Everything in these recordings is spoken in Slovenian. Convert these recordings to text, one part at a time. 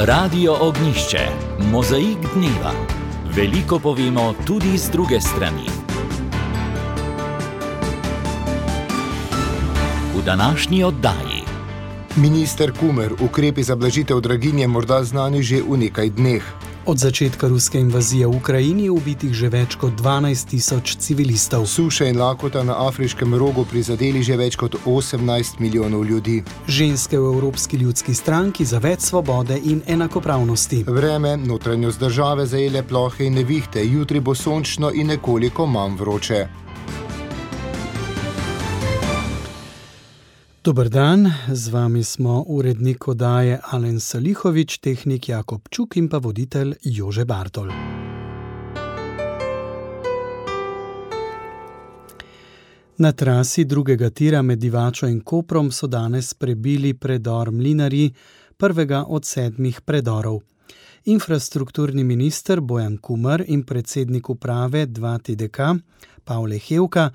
Radio Ognjišče, mozaik dneva. Veliko povemo tudi z druge strani. V današnji oddaji. Minister Kumer, ukrepi za blažitev draginje morda znani že v nekaj dneh. Od začetka ruske invazije v Ukrajini je ubitih že več kot 12.000 civilistov. Suša in lakota na afriškem rogu prizadeli že več kot 18 milijonov ljudi. Ženske v Evropski ljudski stranki za več svobode in enakopravnosti. Vreme, notranjost države zajele plohe in nevihte, jutri bo sončno in nekoliko manj vroče. Dober dan, z vami smo urednik oddaje Alen Salihovič, tehnik Jakob Čuk in pa voditelj Jože Bartol. Na trasi drugega tira med Divačo in Koprom so danes prebili predor Mlinarji, prvega od 7 predorov. Infrastrukturni minister Bojan Kumer in predsednik uprave 2TDK Pavle Hevka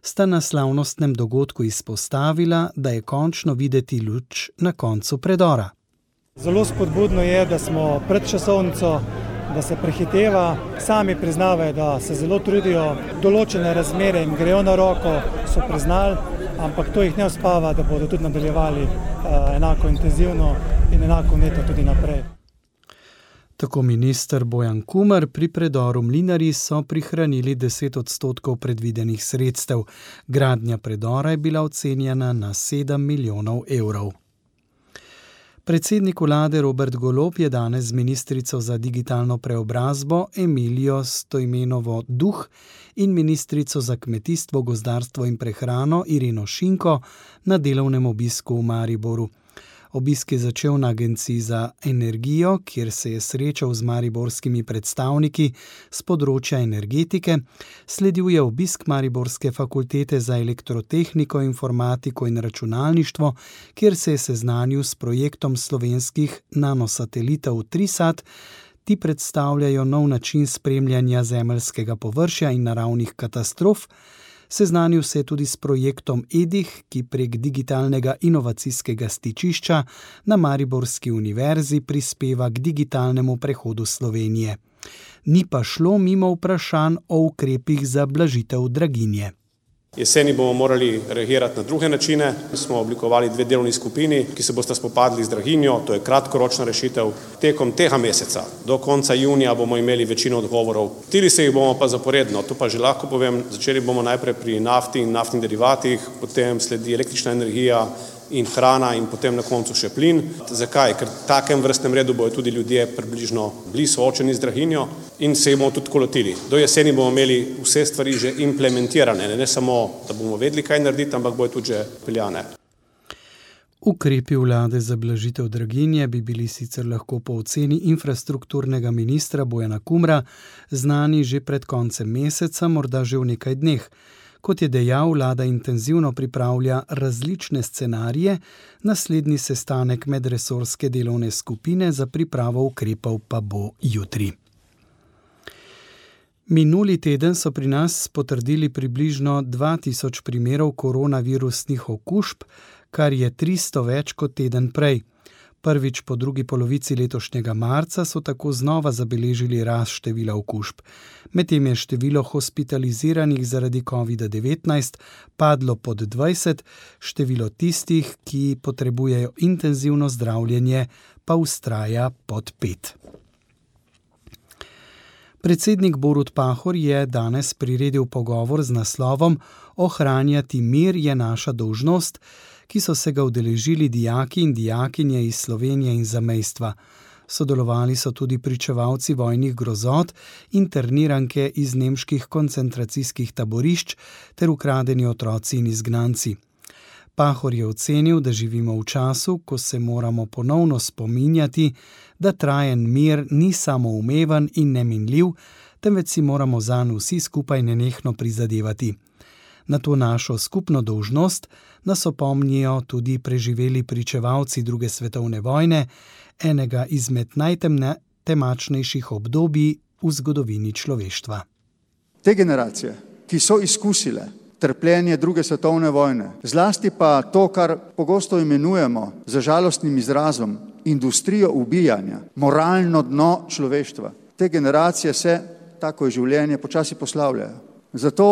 sta na slavnostnem dogodku izpostavila, da je končno videti luč na koncu predora. Zelo spodbudno je, da smo pred časovnico, da se prehiteva. Sami priznavajo, da se zelo trudijo, določene razmere jim grejo na roko, so priznali, ampak to jih ne uspava, da bodo tudi nadaljevali enako intenzivno in enako vneto tudi naprej. Tako minister Bojan Kumer, pri predoru Mlinarji so prihranili 10% predvidenih sredstev. Gradnja predora je bila ocenjena na 7 milijonov evrov. Predsednik vlade Robert Golob je danes z ministrico za digitalno preobrazbo Emilijo Stojmenovo Duh in ministrico za kmetijstvo, gozdarstvo in prehrano Ireno Šinko na delovnem obisku v Mariboru. Obisk je začel na Agenciji za energijo, kjer se je srečal z mariborskimi predstavniki z področja energetike. Sledil je obisk Mariborske fakultete za elektrotehniko, informatiko in računalništvo, kjer se je seznanil s projektom slovenskih nanosatelitov Trisat. Ti predstavljajo nov način spremljanja zemeljskega površja in naravnih katastrof. Seznanil se je tudi s projektom EDIH, ki prek digitalnega inovacijskega stičišča na Mariborski univerzi prispeva k digitalnemu prehodu Slovenije. Ni pa šlo mimo vprašanj o ukrepih za blažitev draginje. Jeseni bomo morali reagirati na druge načine. Smo oblikovali 2 delovni skupini, ki se bosta spopadli z draginjo, to je kratkoročna rešitev. Tekom tega meseca, do konca junija, bomo imeli večino odgovorov. Lotili se jih bomo pa zaporedno, to pa že lahko povem. Začeli bomo najprej pri nafti in naftnih derivatih, potem sledi električna energija in hrana in potem na koncu še plin. Zakaj? Ker v takem vrstnem redu bojo tudi ljudje približno bili soočeni z draginjo in se jih bomo tudi lotili. Do jeseni bomo imeli vse stvari že implementirane, ne samo, da bomo vedeli, kaj narediti, ampak bojo tudi že peljane. Ukrepi vlade za blažitev draginje bi bili sicer lahko po oceni infrastrukturnega ministra Bojana Kumra znani že pred koncem meseca, morda že v nekaj dneh. Kot je dejal, vlada intenzivno pripravlja različne scenarije, naslednji sestanek medresorske delovne skupine za pripravo ukrepov pa bo jutri. Minuli teden so pri nas potrdili približno 2000 primerov koronavirusnih okužb, kar je 300 več kot teden prej. Prvič po drugi polovici letošnjega marca so tako znova zabeležili rast števila okužb. Medtem je število hospitaliziranih zaradi COVID-19 padlo pod 20, število tistih, ki potrebujejo intenzivno zdravljenje, pa vztraja pod 5. Predsednik Borut Pahor je danes priredil pogovor z naslovom Ohranjati mir je naša dolžnost, ki so se ga udeležili dijaki in dijakinje iz Slovenije in zamejstva. Sodelovali so tudi pričevalci vojnih grozot, interniranke iz nemških koncentracijskih taborišč ter ukradeni otroci in izgnanci. Pahor je ocenil, da živimo v času, ko se moramo ponovno spominjati, da trajen mir ni samoumeven in neminljiv, temveč si moramo zanj vsi skupaj nenehno prizadevati. Na to našo skupno dolžnost nas opomnijo tudi preživeli pričevalci druge svetovne vojne, enega izmed najtemačnejših obdobij v zgodovini človeštva. Te generacije, ki so izkusile trpljenje druge svetovne vojne, zlasti pa to, kar pogosto imenujemo z žalostnim izrazom industrijo ubijanja, moralno dno človeštva. Te generacije se, tako je življenje, počasi poslavljajo. Zato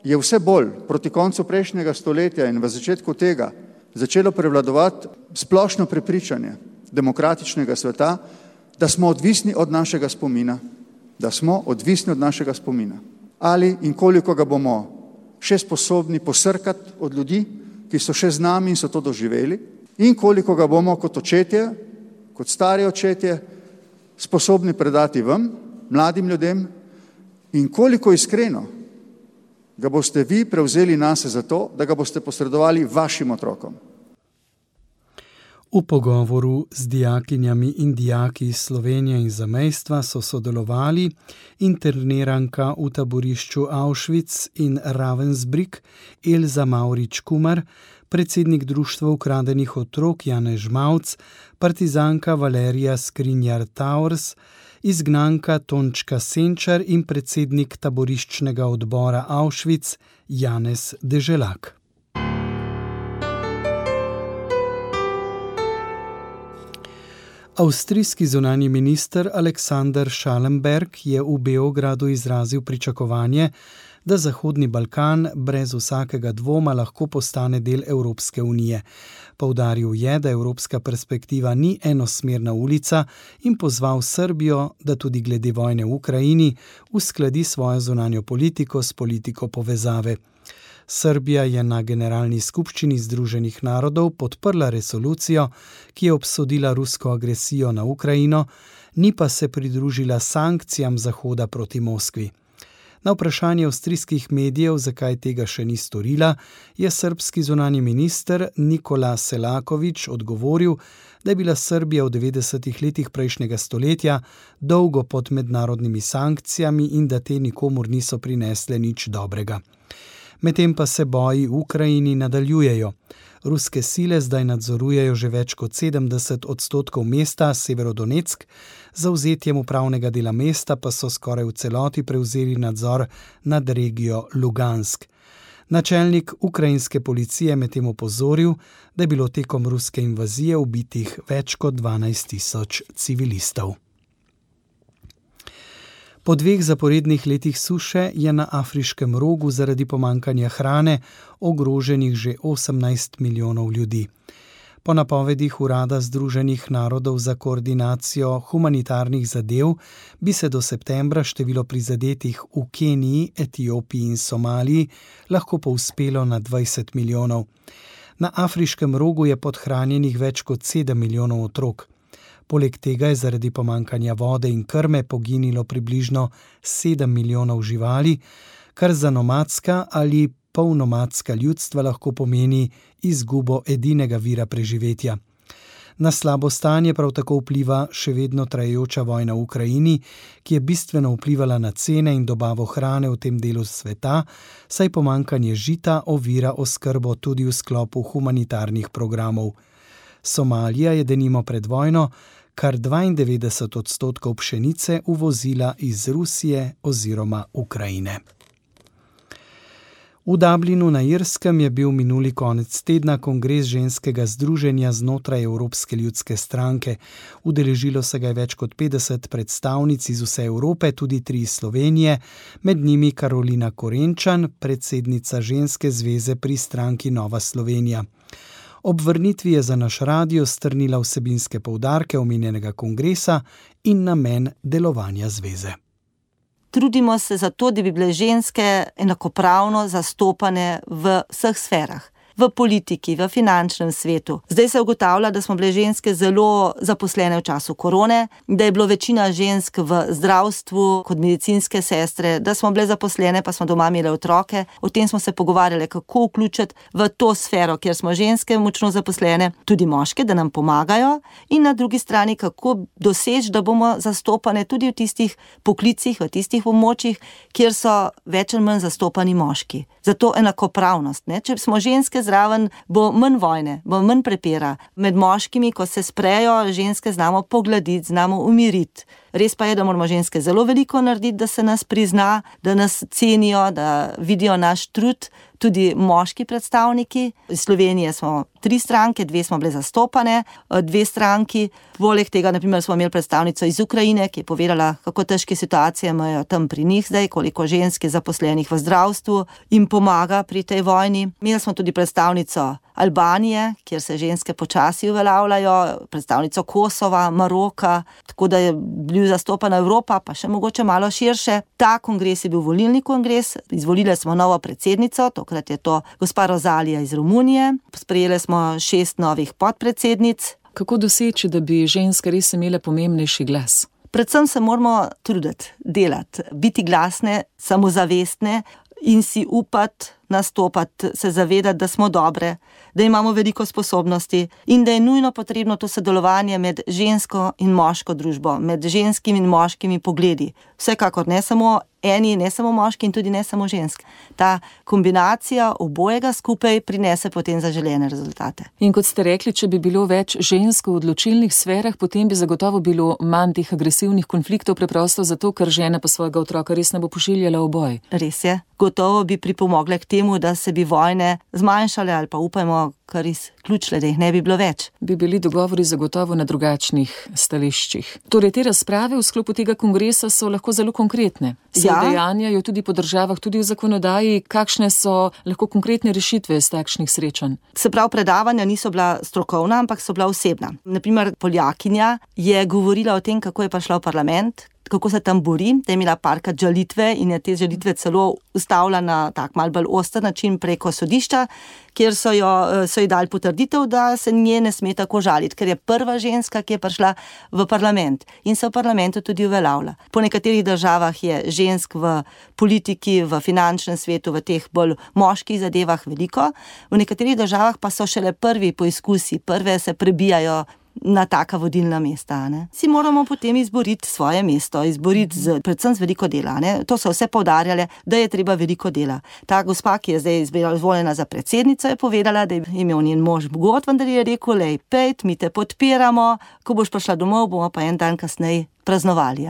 je vse bolj proti koncu prejšnjega stoletja in v začetku tega začelo prevladovati splošno prepričanje demokratičnega sveta, da smo odvisni od našega spomina. Ali in koliko ga bomo še sposobni posrkati od ljudi, ki so še z nami in so to doživeli, in koliko ga bomo kot očetje, kot stari očetje, sposobni predati vam, mladim ljudem, in koliko iskreno ga boste vi prevzeli nase za to, da ga boste posredovali vašim otrokom. V pogovoru z dijakinjami in dijaki iz Slovenije in zamejstva so sodelovali interniranka v taborišču Auschwitz in Ravensbrück Elza Mavrič-Kumar, predsednik Društva ukradenih otrok Janez Žmavc, partizanka Valerija Skrinjar-Taurs, izgnanka Tončka Senčar in predsednik taboriščnega odbora Auschwitz Janez Deželak. Avstrijski zunanji minister Alexander Schallenberg je v Beogradu izrazil pričakovanje, da Zahodni Balkan brez vsakega dvoma lahko postane del Evropske unije. Poudaril je, da evropska perspektiva ni enosmerna ulica in pozval Srbijo, da tudi glede vojne v Ukrajini uskladi svojo zunanjo politiko s politiko povezave. Srbija je na Generalni skupščini Združenih narodov podprla resolucijo, ki je obsodila rusko agresijo na Ukrajino, ni pa se pridružila sankcijam Zahoda proti Moskvi. Na vprašanje avstrijskih medijev, zakaj tega še ni storila, je srbski zunanji minister Nikola Selaković odgovoril, da je bila Srbija v 90. letih prejšnjega stoletja dolgo pod mednarodnimi sankcijami in da te nikomur niso prinesle nič dobrega. Medtem pa se boji v Ukrajini nadaljujejo. Ruske sile zdaj nadzorujejo že več kot 70% mesta Severodonetsk, za vzetjem upravnega dela mesta pa so skoraj v celoti prevzeli nadzor nad regijo Lugansk. Načelnik ukrajinske policije medtem opozoril, da je bilo tekom ruske invazije ubitih več kot 12.000 civilistov. Po 2 zaporednih letih suše je na Afriškem rogu zaradi pomanjkanja hrane ogroženih že 18 milijonov ljudi. Po napovedih Urada Združenih narodov za koordinacijo humanitarnih zadev bi se do septembra število prizadetih v Keniji, Etiopiji in Somaliji lahko povzpelo na 20 milijonov. Na Afriškem rogu je podhranjenih več kot 7 milijonov otrok. Poleg tega je zaradi pomanjkanja vode in krme poginilo približno 7 milijonov živali, kar za nomadska ali polnomadska ljudstva lahko pomeni izgubo edinega vira preživetja. Na slabo stanje prav tako vpliva še vedno trajajoča vojna v Ukrajini, ki je bistveno vplivala na cene in dobavo hrane v tem delu sveta, saj pomanjkanje žita ovira oskrbo tudi v sklopu humanitarnih programov. Somalija je denimo pred vojno kar 92% pšenice uvozila iz Rusije oziroma Ukrajine. V Dublinu na Irskem je bil minuli konec tedna kongres ženskega združenja znotraj Evropske ljudske stranke. Udeležilo se ga je več kot 50 predstavnic iz vse Evrope, tudi 3 iz Slovenije, med njimi Karolina Korenčan, predsednica ženske zveze pri stranki Nova Slovenija. Ob vrnitvi je za naš radio strnila vsebinske poudarke omenjenega kongresa in namen delovanja zveze. Trudimo se za to, da bi bile ženske enakopravno zastopane v vseh sferah. V politiki, v finančnem svetu. Zdaj se ugotavlja, da smo bile ženske zelo zaposlene v času korone, da je bilo večina žensk v zdravstvu kot medicinske sestre, da smo bile zaposlene, pa smo doma imele otroke. O tem smo se pogovarjali, kako vključiti v to sfero, kjer smo ženske močno zaposlene, tudi moške, da nam pomagajo, in na drugi strani, kako doseči, da bomo zastopane tudi v tistih poklicih, v tistih območjih, kjer so več ali manj zastopani moški. Zato enakopravnost. Če smo ženske zraven, bo manj vojne, bo manj prepira. Med moškimi, ko se sprejo, ženske znamo pogladiti, znamo umiriti. Res pa je, da moramo ženske zelo veliko narediti, da se nas prizna, da nas cenijo, da vidijo naš trud. Tudi moški predstavniki. Iz Slovenije smo 3 stranke, 2 smo bile zastopane, 2 stranki. Poleg tega, naprimer, smo imeli predstavnico iz Ukrajine, ki je povedala, kako težke situacije imajo tam pri njih zdaj, koliko žensk je zaposlenih v zdravstvu in pomaga pri tej vojni. Imeli smo tudi predstavnico Albanije, kjer se ženske počasi uveljavljajo, predstavnico Kosova, Maroka, tako da je bil zastopana Evropa, pa še mogoče malo širše. Ta kongres je bil volilni kongres, izvolili smo novo predsednico, tokrat je to gospa Rozalija iz Romunije, sprejeli smo 6 novih podpredsednic. Kako doseči, da bi ženske res imele pomembnejši glas? Predvsem se moramo truditi, delati, biti glasne, samozavestne in si upati, nastopati, se zavedati, da smo dobre, da imamo veliko sposobnosti in da je nujno potrebno to sodelovanje med žensko in moško družbo, med ženskimi in moškimi pogledi. Vsekakor ne samo eni, ne samo moški in tudi ne samo žensk. Ta kombinacija obojega skupaj prinese potem zaželene rezultate. In kot ste rekli, če bi bilo več žensk v odločilnih sferah, potem bi zagotovo bilo manj teh agresivnih konfliktov, preprosto zato, ker žena pa svojega otroka res ne bo pošiljala v boj. Res je. Gotovo bi pripomogle k temu, da se bi vojne zmanjšale ali pa upajmo, kar izključile, da jih ne bi bilo več. Bi bili dogovori zagotovo na drugačnih stališčih. Torej, te razprave v sklopu tega kongresa so lahko zelo konkretne. Se udejanjajo tudi po državah, tudi v zakonodaji. Kakšne so lahko konkretne rešitve iz takšnih srečanj? Se pravi, predavanja niso bila strokovna, ampak so bila osebna. Naprimer, Poljakinja je govorila o tem, kako je prišla v parlament, kako se tam bori, da je imela parkrat žalitve in je te žalitve celo ustavila na tak mal bolj oster način preko sodišča, kjer so ji dali potrditev, da se nje ne sme tako žaliti, ker je prva ženska, ki je prišla v parlament in se v parlamentu tudi uveljavlja. Po nekaterih državah je žensk v politiki, v finančnem svetu, v teh bolj moških zadevah veliko, v nekaterih državah pa so šele prvi poizkusi, prve se prebijajo na taka vodilna mesta. Ne? Si moramo potem izboriti svoje mesto, izboriti predvsem z veliko dela. Ne? To so vse poudarjale, da je treba veliko dela. Ta gospa, ki je zdaj izvoljena za predsednico, je povedala, da je imel njen mož bogat, vendar je rekel, lej, pejt, mi te podpiramo, ko boš prišla domov, bomo pa en dan kasneje praznovali.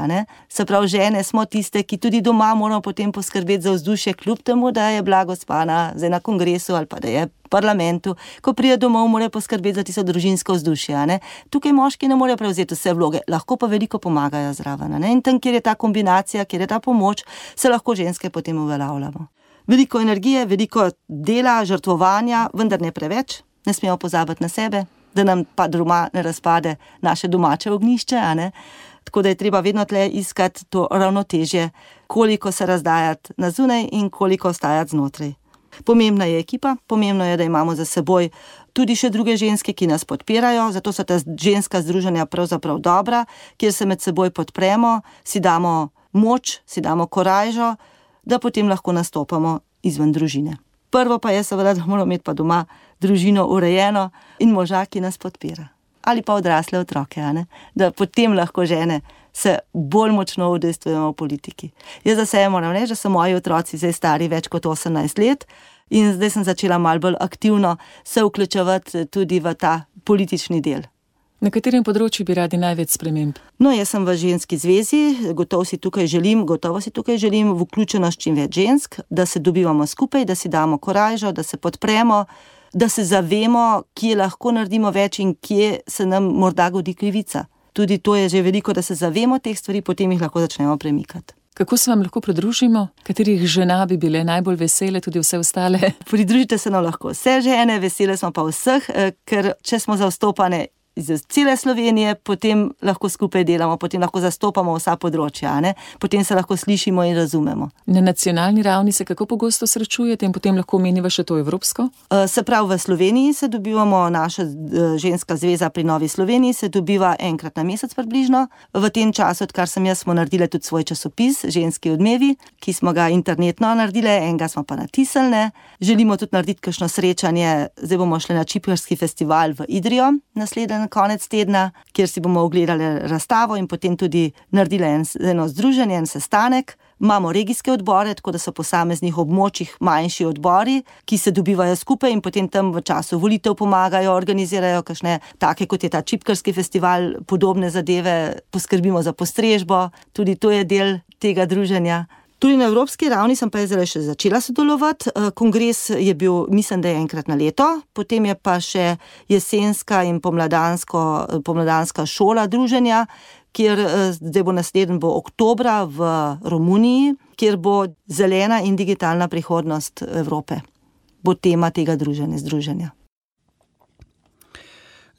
Se pravi, žene smo tiste, ki tudi doma moramo potem poskrbeti za vzdušje, kljub temu, da je bila gospa na kongresu ali pa da je v parlamentu. Ko pride domov, mora poskrbeti za tisto družinsko vzdušje. Tukaj moški ne morejo prevzeti vse vloge, lahko pa veliko pomagajo zraven. In tam, kjer je ta kombinacija, kjer je ta pomoč, se lahko ženske potem uveljavljamo. Veliko energije, veliko dela, žrtvovanja, vendar ne preveč, ne smemo pozabiti na sebe, da nam pa doma ne razpade naše domače ognjišče. Tako da je treba vedno tle iskati to ravnotežje, koliko se razdajati na zunaj in koliko ostajati znotraj. Pomembna je ekipa, pomembno je, da imamo za seboj tudi še druge ženske, ki nas podpirajo, zato so ta ženska združenja pravzaprav dobra, kjer se med seboj podpremo, si damo moč, si damo korajžo, da potem lahko nastopamo izven družine. Prvo pa je seveda, da moramo imeti pa doma družino urejeno in moža, ki nas podpira. Ali pa odrasle otroke, da potem lahko žene se bolj močno udejstvujemo v politiki. Jaz za sebe moram reči, da so moji otroci zdaj stari več kot 18 let in zdaj sem začela malo bolj aktivno se vključevati tudi v ta politični del. Na katerem področju bi radi največ sprememb? No, jaz sem v ženski zvezi, gotovo si tukaj želim vključenost čim več žensk, da se dobivamo skupaj, da si damo korajžo, da se podpremo, da se zavemo, kje lahko naredimo več in kje se nam morda godi krivica. Tudi to je že veliko, da se zavemo teh stvari, potem jih lahko začnemo premikati. Kako se vam lahko pridružimo? Katerih žena bi bile najbolj vesele, tudi vse ostale? Pridružite se nam lahko vse žene, vesele smo pa vseh, ker če smo zastopane iz cele Slovenije, potem lahko skupaj delamo, potem lahko zastopamo vsa področja, potem se lahko slišimo in razumemo. Na nacionalni ravni se kako pogosto srečujete in potem lahko omeniva še to evropsko? Se pravi, v Sloveniji se dobivamo, naša ženska zveza pri Novi Sloveniji se dobiva enkrat na mesec približno. V tem času, odkar sem jaz, smo naredili tudi svoj časopis Ženski odmevi, ki smo ga internetno naredili, enega smo pa natisnili. Želimo tudi narediti kakšno srečanje, zdaj bomo šli na Čiprski festival v Idrijo naslednji konec tedna, kjer si bomo ogledali razstavo in potem tudi naredili eno združenje, en sestanek. Imamo regijske odbore, tako da so po posameznih območjih manjši odbori, ki se dobivajo skupaj in potem tam v času volitev pomagajo, organizirajo kakšne take, kot je ta čipkarski festival, podobne zadeve, poskrbimo za postrežbo, tudi to je del tega druženja. Tudi na evropski ravni sem pa zdaj še začela sodelovati. Kongres je bil, mislim, da je enkrat na leto, potem je pa še jesenska in pomladanska šola druženja, kjer zdaj bo naslednji oktobra v Romuniji, kjer bo zelena in digitalna prihodnost Evrope. Bo tema tega združenja.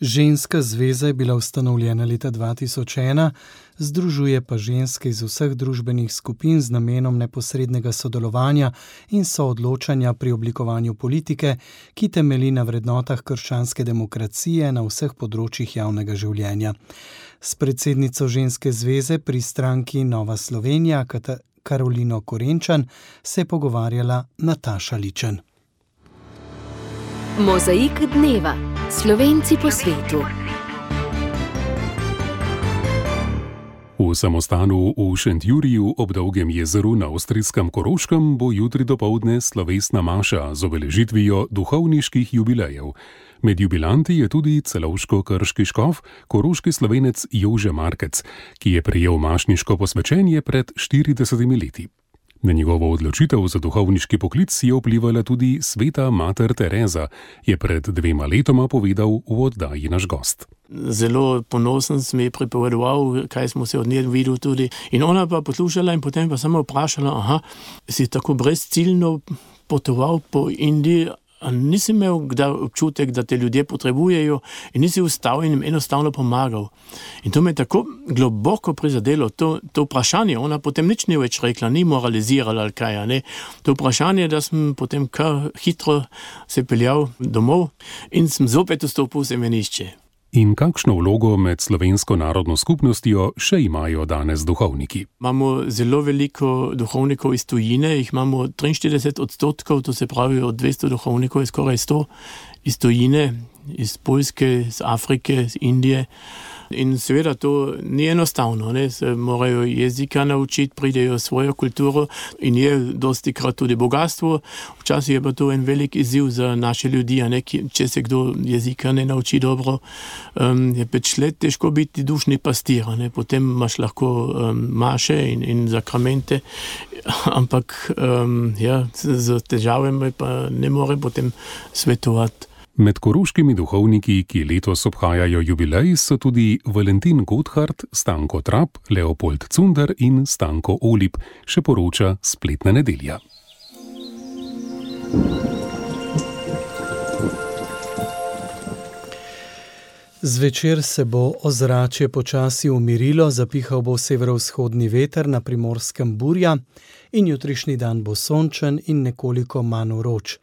Ženska zveza je bila ustanovljena leta 2001, združuje pa ženske iz vseh družbenih skupin z namenom neposrednega sodelovanja in soodločanja pri oblikovanju politike, ki temelji na vrednotah krščanske demokracije na vseh področjih javnega življenja. S predsednico ženske zveze pri stranki Nova Slovenija, Karolino Korenčan, se je pogovarjala Nataša Ličen. Mozaik dneva. Slovenci po svetu. V samostanu v Šentjuriju ob Dolgem jezeru na avstrijskem Koroškem bo jutri dopoldne slovesna maša z obeležitvijo duhovniških jubilejev. Med jubilanti je tudi celovško-krški škof, koroški Slovenec Jože Markec, ki je prejel mašniško posvečenje pred 40 leti. Na njegovo odločitev za duhovniški poklic je vplivala tudi sveta mater Tereza, je pred 2 letoma povedal v oddaji naš gost. Zelo ponosen sem ji pripovedoval, kaj smo se od nje videli tudi. In ona pa poslušala in potem pa samo vprašala, si tako brezciljno potoval po Indiji, a nisi imel kdaj občutek, da te ljudje potrebujejo in nisi vstal in jim enostavno pomagal. In to me je tako globoko prizadelo, to vprašanje, ona potem nič ni več rekla, ni moralizirala ali kaj, ne. To vprašanje, da sem potem kar hitro se peljal domov in sem zopet vstopil v semenišče. In kakšno vlogo med slovensko narodno skupnostjo še imajo danes duhovniki? Imamo zelo veliko duhovnikov iz tujine, jih imamo 43%, to se pravi od 200 duhovnikov je skoraj 100 iz tujine, iz Poljske, iz Afrike, iz Indije. In seveda to ni enostavno, ne? Se morajo jezika naučiti, pridejo svojo kulturo in je dostikrat tudi bogatstvo. Včasih je pa to en velik izziv za naše ljudi, a ne? Če se kdo jezika ne nauči dobro, je 5 let težko biti dušni pastir, ne? Potem imaš lahko maše in zakramente, ampak z težavami pa ne more potem svetovati. Med koroškimi duhovniki, ki letos obhajajo jubilej, so tudi Valentin Gotthard, Stanko Trap, Leopold Cunder in Stanko Olip, še poroča Spletna nedelja. Zvečer se bo ozračje počasi umirilo, zapihal bo severovzhodni veter, na Primorskem burja in jutrišnji dan bo sončen in nekoliko manj vroč.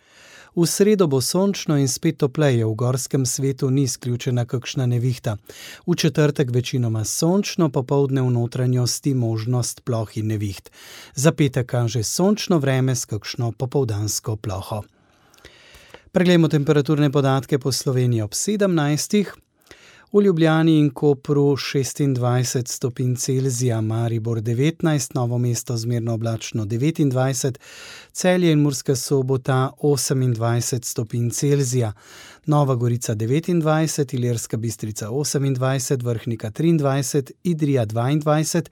V sredo bo sončno in spet topleje, v gorskem svetu ni izključena kakšna nevihta. V četrtek večinoma sončno, popoldne v notranjosti možnost ploh in neviht. Za petek kaže sončno vreme s kakšno popoldansko ploho. Preglejmo temperaturne podatke po Sloveniji ob 17. V Ljubljani in Kopru 26 stopinj Celzija, Maribor 19, Novo mesto zmerno oblačno 29, Celje in Murska Sobota 28 stopinj Celzija, Nova Gorica 29, Ilirska Bistrica 28, Vrhnika 23, Idrija 22,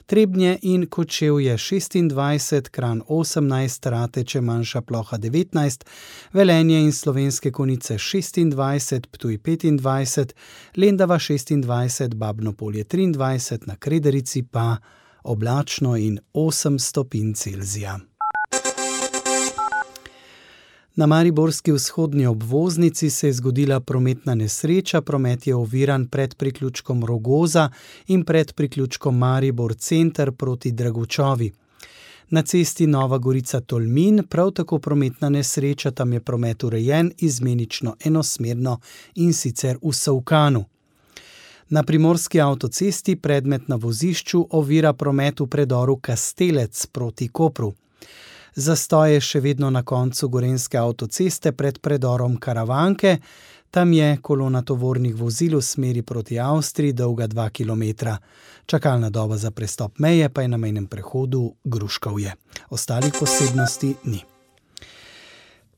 Trebnje in Kočevje 26, Kranj 18, Rateče manjša ploha 19, Velenje in Slovenske Konjice 26, Ptuj 25, Lendava 26, Babno Polje 23, na Krederici pa oblačno in 8 stopinj Celzija. Na mariborski vzhodni obvoznici se je zgodila prometna nesreča, promet je oviran pred priključkom Rogoza in pred priključkom Maribor center proti Dragučovi. Na cesti Nova Gorica-Tolmin prav tako prometna nesreča, tam je promet urejen izmenično enosmerno in sicer v Solkanu. Na primorski avtocesti predmet na vozišču ovira promet v predoru Kastelec proti Kopru. Zastoj je še vedno na koncu gorenjske avtoceste pred predorom Karavanke, Tam je kolona tovornih vozil v smeri proti Avstriji dolga 2 km. Čakalna doba za prestop meje pa je na mejnem prehodu Gruškovje. Ostalih posebnosti ni.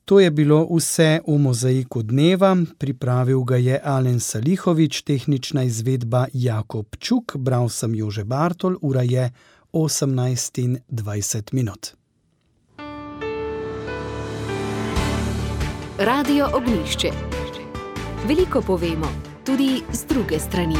To je bilo vse v Mozaiku dneva. Pripravil ga je Alen Salihovič, tehnična izvedba Jakob Čuk, bral sem Jože Bartol, ura je 18:20. Radio Ognjišče. Veliko povemo, tudi z druge strani.